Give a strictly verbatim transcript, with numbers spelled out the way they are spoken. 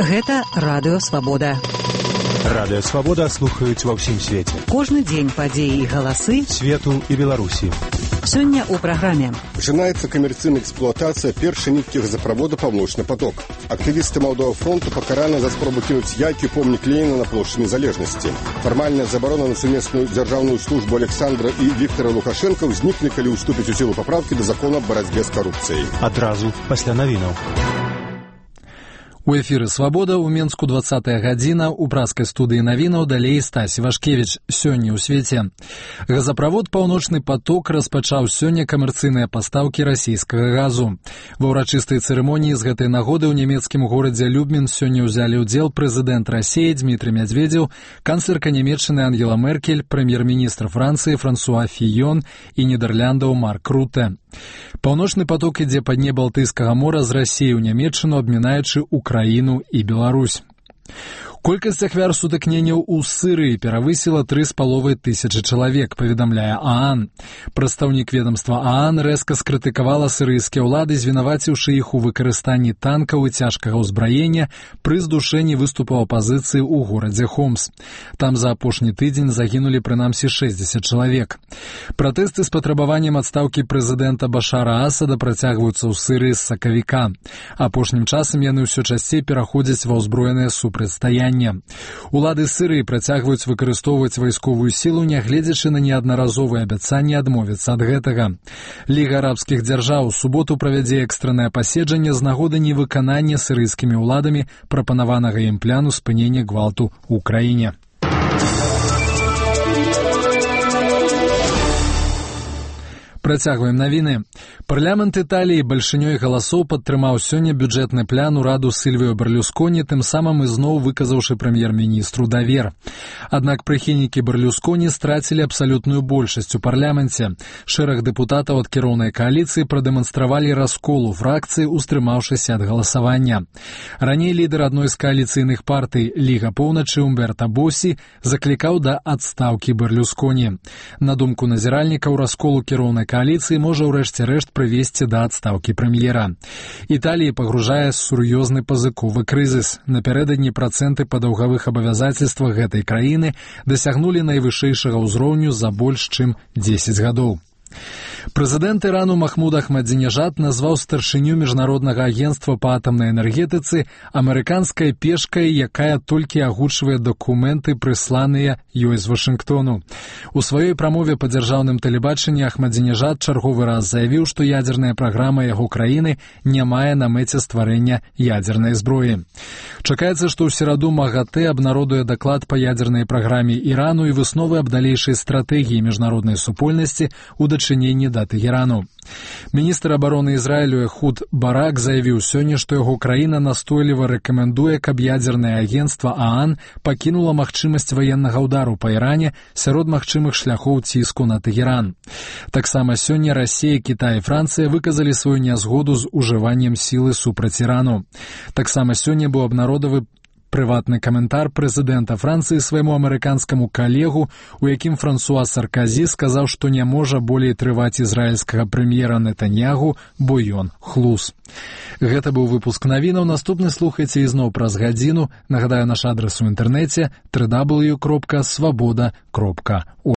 Гэта Радыё Свабода. Радыё Свабода слухаюць ва ўсім свеце. Кожны дзень падзеі і галасы свету і Беларусі. Сёння ў праграме. Пачынаецца камерцыйная эксплуатацыя першай ніткі газапровода «Паўночны поток». Актывісты Малдового фронту пакараны за спробу кінуць яйкі помнік Леніна на плошчы Незалежнасці. Фармальная забарона на сумесную дзяржаўную службу Александра і Віктора Лукашенка ўзнікне, калі ўступіць у сілу папраўкі да закона аб барацьбе з карупцыяй. Адразу пасля навінаў. У эфіры «Свабода» ў Менску двадцатая гадзіна, у праскай студыі навінаў далей Стась Вашкевіч. Сёння ў свеце. Газаправод «Паўночны поток» распачаў сёння камерцыйныя пастаўкі расійскага газу. Ва ўрачыстай цырымоніі з гэтай нагоды ў нямецкім горадзе Любмін сёння ўзялі ўдзел прэзідэнт Расіі Дмітрый Мядзведзеў, канцлерка Нямецчыны Ангела Меркель, прэм'ер-міністр Францыі Франсуа Фіён і Нідэрляндаў Марк Рутэ. «Паўночны поток» ідзе па дне Балтыйскага мора з Расіі ў Нямецчыну, абмінаючы Украіну і Беларусь. Колькасць ахвяр сутыкненняў у Сырыі перавысіла тры з паловай тысячы чалавек, паведамляе ААН. Прадстаўнік ведамства ААН рэзка скрытыкавала сырыйскія ўлады, звінаваціўшы іх у выкарыстанні танкаў і цяжкага ўзбраення пры здушэнні выступаў апазіцыі ў горадзе Хомс. Там за апошні тыдзень загінулі прынамсі шэсцьдзесят чалавек. Пратэсты з патрабаваннем адстаўкі прэзідэнта Башара Асада працягваюцца ў Сырыі з сакавіка. Апошнім часам яны ўсё часцей пераходзяць ва ўзброенае супрацьстаянне. Улады Сырыі працягваюць выкарыстоўваць вайсковую сілу, нягледзячы на неаднаразовыя абяцанні адмовіцца ад гэтага. Ліга арабскіх дзяржаў у суботу правядзе экстраннае паседжанне з нагоды невыканання сырыйскімі ўладамі прапанаванага ім пляну спынення гвалту ў краіне. Працягваем навіны. Парламент Італіі бальшынёй галасоў падтрымаў сёння бюджэтны план ураду Сільвіо Берлюсконі, тым самым ізноў выказаўшы прэм'ер-міністру давер. Аднак прыхільнікі Берлюсконі страцілі абсалютную большасць у парламенце. Шэраг дэпутатаў ад кіроўнай кааліцыі прадэманстравалі раскол у фракцыі, устрымаўшыся ад галасавання. Раней лідар адной з кааліцыйных партый Ліга Поўначы Умберта Босі заклікаў да адстаўкі Берлюсконі. На думку назіральнікаў, раскол у кіроўнай кааліцыі можа ўрэшце рэшт прывесці да адстаўкі прэм'ера. Італіі пагружае сур'ёзны пазыковы крызіс. Напярэдадні працэнты па даўгавых абавязацельствах гэтай краіны дасягнулі найвышэйшага ўзроўню за больш чым дзесяць гадоў. Прэзідэнт Ірану Махмуд Ахмадзінежад назваў старшыню міжнароднага агенцтва па атамнай энергетыцы амерыканскай пешкай, якая толькі агучвае дакументы, прысланыя ёй з Вашынгтону. У сваёй прамове па дзяржаўным тэлебачанні Ахмадзінежад чарговы раз заявіў, што ядзерная праграма яго краіны не мае на мэце стварэння ядзернай зброі. Чакаецца, што ў сераду МАГАТЭ абнародуе даклад па ядзернай праграме Ірану і высновы аб далейшай стратэгіі міжнароднай супольнасці ў дачыненні да Тэхерану. Міністр абароны Ізраілю Эхуд Барак заявіў сёння, што яго краіна настойліва рэкамендуе, каб ядзернае агенцтва ААН пакінула магчымасць ваеннага ўдару па Іране сярод магчымых шляхоў ціску на Тэхеран. Таксама сёння Расія, Кітай і Францыя выказалі сваю нязгоду з ужываннем сілы супраць Ірану. Таксама сёння быў абнародавы прыватны каментар прэзідэнта Францыі свайму амерыканскаму калегу, у якім Франсуа Сарказі сказаў, што не можа болей трываць ізраільскага прэм'ера Нетаньягу, бо ён хлус. Гэта быў выпуск навінаў. Наступны слухайце ізноў праз гадзіну. Нагадаю, наш адрас у інтэрнэце дабл ю дабл ю дабл ю кропка свабода кропка орг.